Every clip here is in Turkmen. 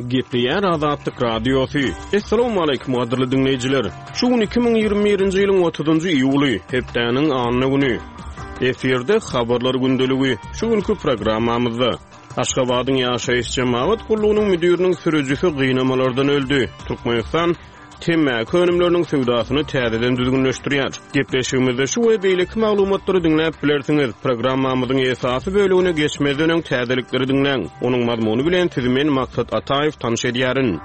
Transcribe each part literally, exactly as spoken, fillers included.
Gepleýär Azatlyk Radiosy. Assalamualaikum gadyrly diňleýjiler. Şu gün iki müň ýigrimi birinji ýylyň otuzynjy iýuly, hepdäniň anna güni. Efirde habarlar gündeligi. Şu günkü programmamyzda Aşgabadyň ýaşaýyş jemagat gullugynyň müdiriniň sürüjisi gynamalardan öldi. Türkmenistan temmäki önümleriniň söwdasyny täzeden düzgünleşdirýär. Gepleşigimizde şu we beýleki maglumatlary diňläp bilersiňiz. Programmamyzyň esasy bölümine geçmezden öň täzelikleri diňläň. Onuň mazmuny bilen sizi men Maksat Ataýew tanyş edýärin.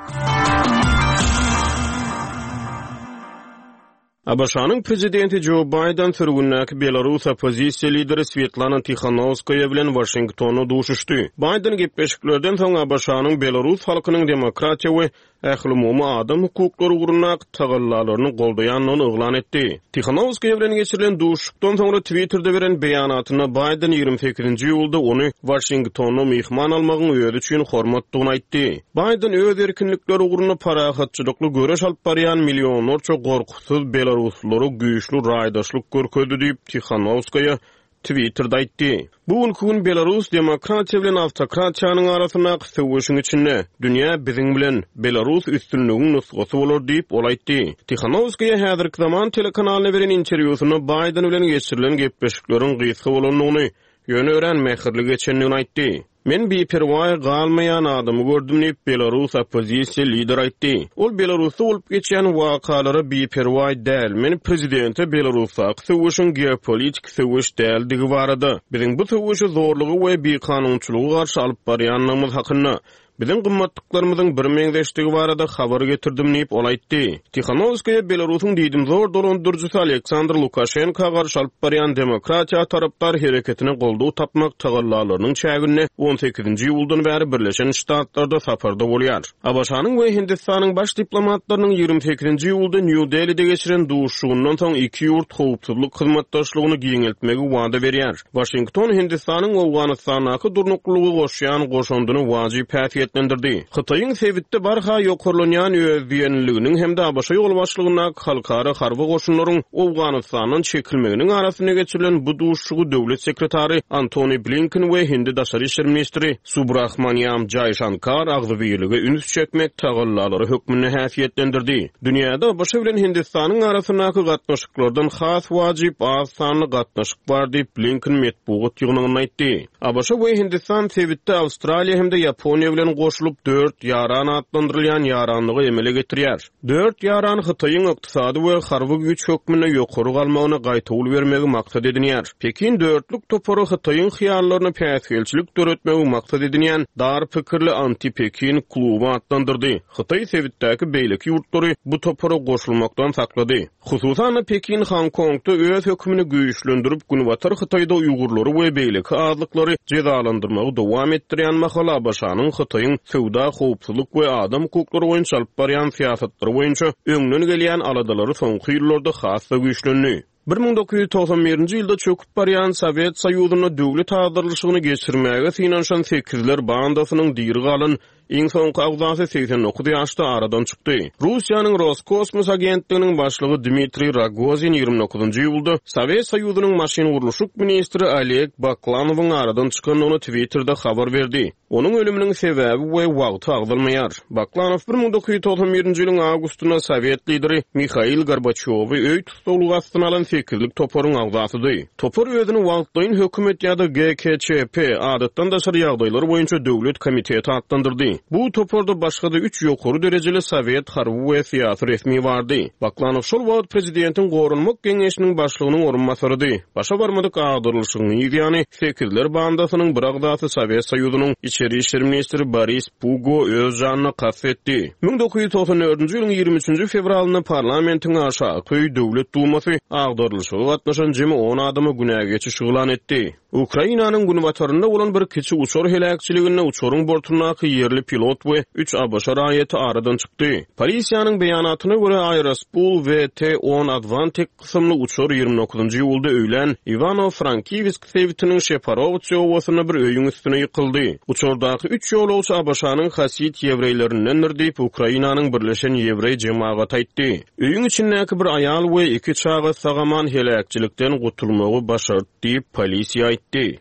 A B Ş-nyň prezidenti Joe Biden sürgündäki Belarus oppozisiýa lideri Svetlana Tikhanovskaya bilen Washingtonda duşuşdy. Biden gepleşiklerden soň A B Ş-nyň Belarus halkynyň demokratiýa we ählumumy adam hukuklary ugrundaky tagallalaryny goldaýandygyny yglan etdi. Tikhanovskaya bilen geçirilen duşuşykdan soňra Twitter'de beren beýanatynda Biden ýigrimi sekizinji iýulda ony Washingtonda myhman almagyň özi üçin hormatdygyny aýtdy. Biden öz erkinlikleri ugrunda parahatçylykly göreş alyp barýan millionlarça gorkusyz Belaruslylara güýçli raýdaşlyk görkezdi diýip Tikhanovskaya Twitter'da aýtdy. Bu günkü gün Belarus demokratiýa bilen awtokratiýanyň arasyndaky söweşiň içinde dünýä biziň bilen Belarus üstünligiň nusgasy bolar diýip ol aýtdy. Tikhanovskaya häzirki zaman telekanalyna beren interwýusynda Biden bilen geçirilen gepleşikleriň gysga bolandygyny, ýöne örän mähirli geçendigini aýtdy. Men biperwaý galmaýan adamy gördüm diýip Belarus oppozisiýa lider aýtdy. Ol Belarusda bolup geçýän wakalara biperwaý däl. Men prezidente Belarusdaky söweşiň geopolitik söweş däldigi barada, biziň bu söweşi zorlugy we bikanunçylygy garşy alyp barýandygymyz hakynda, biziň gymmatlyklarymyzyň bir meňzeşdigi barada habar getirdim diýip ol aýtdy. Tikhanovskaya Belarusyň diýdimzor dolandyryjysy Aleksandr Lukaşenko garşy alyp barýan demokratiýa tarapdar hereketine goldaw tapmak tagallalarynyň çäginde on sekizinji iýuldan bäri Birleşen Ştatlarda saparda bolýar. A B Ş-nyň we Hindistanyň baş diplomatlarynyň ýigrimi sekizinji iýulda Nýu Delide geçiren duşuşygyndan soň iki ýurt howpsuzlyk hyzmatdaşlygyny giňeltmegi wada berýär. Washington Hindistanyň Owganystandaky durnuklylygy goşýan goşundyny wajyp häsiýetlendirdi. Hytaýyň sebitde barha ýokarlanýan özdiýenliliginiň hem-de A B Ş ýolbaşçylygyndaky halkara harby goşunlaryň Owganystandan çekilmeginiň arasynda geçirilen bu duşuşygy döwlet sekretary Antony Blinken we Hindi daşary işler ministri Subrahmanyam Jaýşankar agzybirlige üns çekmek tagallalary hökmünde häsiýetlendirdi. Dünýäde A B Ş bilen Hindistanyň arasyndaky gatnaşyklardan has wajyp az sanly gatnaşyk bar diýip Blinken metbugat ýygnagynda aýtdy. A B Ş we Hindistan sebitde Awstraliýa hem-de Ýaponiýa bilen goşulyp dört ýaran atlandyrylýan ýaranlygy emele getirýär. Dört ýaran Hytaýyň ykdysady we harby güýç hökmünde ýokary galmagyna gaýtawul bermegi maksat edinýär. Pekin dörtlük topary Hytaýyň hyýallaryny päsgelçilik döretmegi maksat edinýän dar pikirli anti-Pekin kluby atlandyrdy. Hytaý sebitdäki beýleki ýurtlary bu topara goşulmakdan saklady. Hususan-da Pekin Hong Kongda öz hökümini güýçlendirip, Günbatar Hytaýda Uýgurlary we beýleki azlyklary jezalandyrmagy dowam etdirýän mahal A B Ş-nyň Hytaýyň söwda, howpsuzlyk we adam hukuklary boýunça alyp barýan syýasatlary boýunça öňden gelýän aladalary soňky ýyllarda has-da güýçlendi. Bir müň dokuz ýüz togsan birinji ýylda çöküp barýan Sowet Soýuzynda döwlet agdarylyşygyny geçirmäge synanyşan sekizler bandasynyň diri galan iň soňky agzasy segsen dokuz ýaşda aradan çykdy. Russiýanyň Roskosmos agentliginiň başlygy Dmitriý Rogozin ýigrimi dokuzynjy iýulda Sowet Soýuzynyň maşyn gurluşyk ministri Oleg Baklanowyň aradan çykandygyny Twitter'de habar berdi. Onuň ölüminiň sebäbi we wagty agzalmaýar. Baklanow bir müň dokuz ýüz togsan birinji ýylyň awgustynda Sowet lideri Mihail Gorbaçýowy öý tussaglygy astyna alan sekizlik toparyň agzasydy. Topar özüni wagtlaýyn hökümet ýa-da G K Ç P adatdan daşary ýagdaýlar boýunça döwlet komiteti atlandyrdy. Bu toparda başga-da üç ýokary derejeli Sowet harby we syýasy resmi bardy. Baklanow şol wagt prezidentiň goranmak geňeşiniň başlygynyň orunbasarydy. Başa barmadyk agdarylyşygyň ýany sekizler bandasynyň bir agzasy Sowet Soýuzynyň içeri işler ministri Boris Pugo öz janyna kast etdi. Müň dokuz ýüz togsan dördünji ýylyň ýigrimi üçünji fewralynda parlamentiň aşaky döwlet dumasy agdarylyşyga gatnaşan jemi on adama günä geçiş yglan etdi. Ukrainanyň günbatarynda bolan bir kiçi uçar heläkçiliginde uçaryň bortundaky ýerli pilot we üç A B Ş raýaty aradan çykdy. Polisiýanyň beýanatyna görä Aerospul V T on Advantek kysymly uçar ýigrimi dokuzynjy iýulda öýlän Iwano-Frankivsk sebitiniň Şeparowtsi obasynda bir öýüň üstüne ýykyldy. Uçardaky üç ýolagçy A B Ş-nyň Hasid ýewreýlerindendir diýip Ukrainanyň Birleşen Ýewreý jemagaty aýtdy. Öýüň içindäki bir aýal we iki çaga sag-aman heläkçilikden gutulmagy başardy diýip polisiýa aýtdy.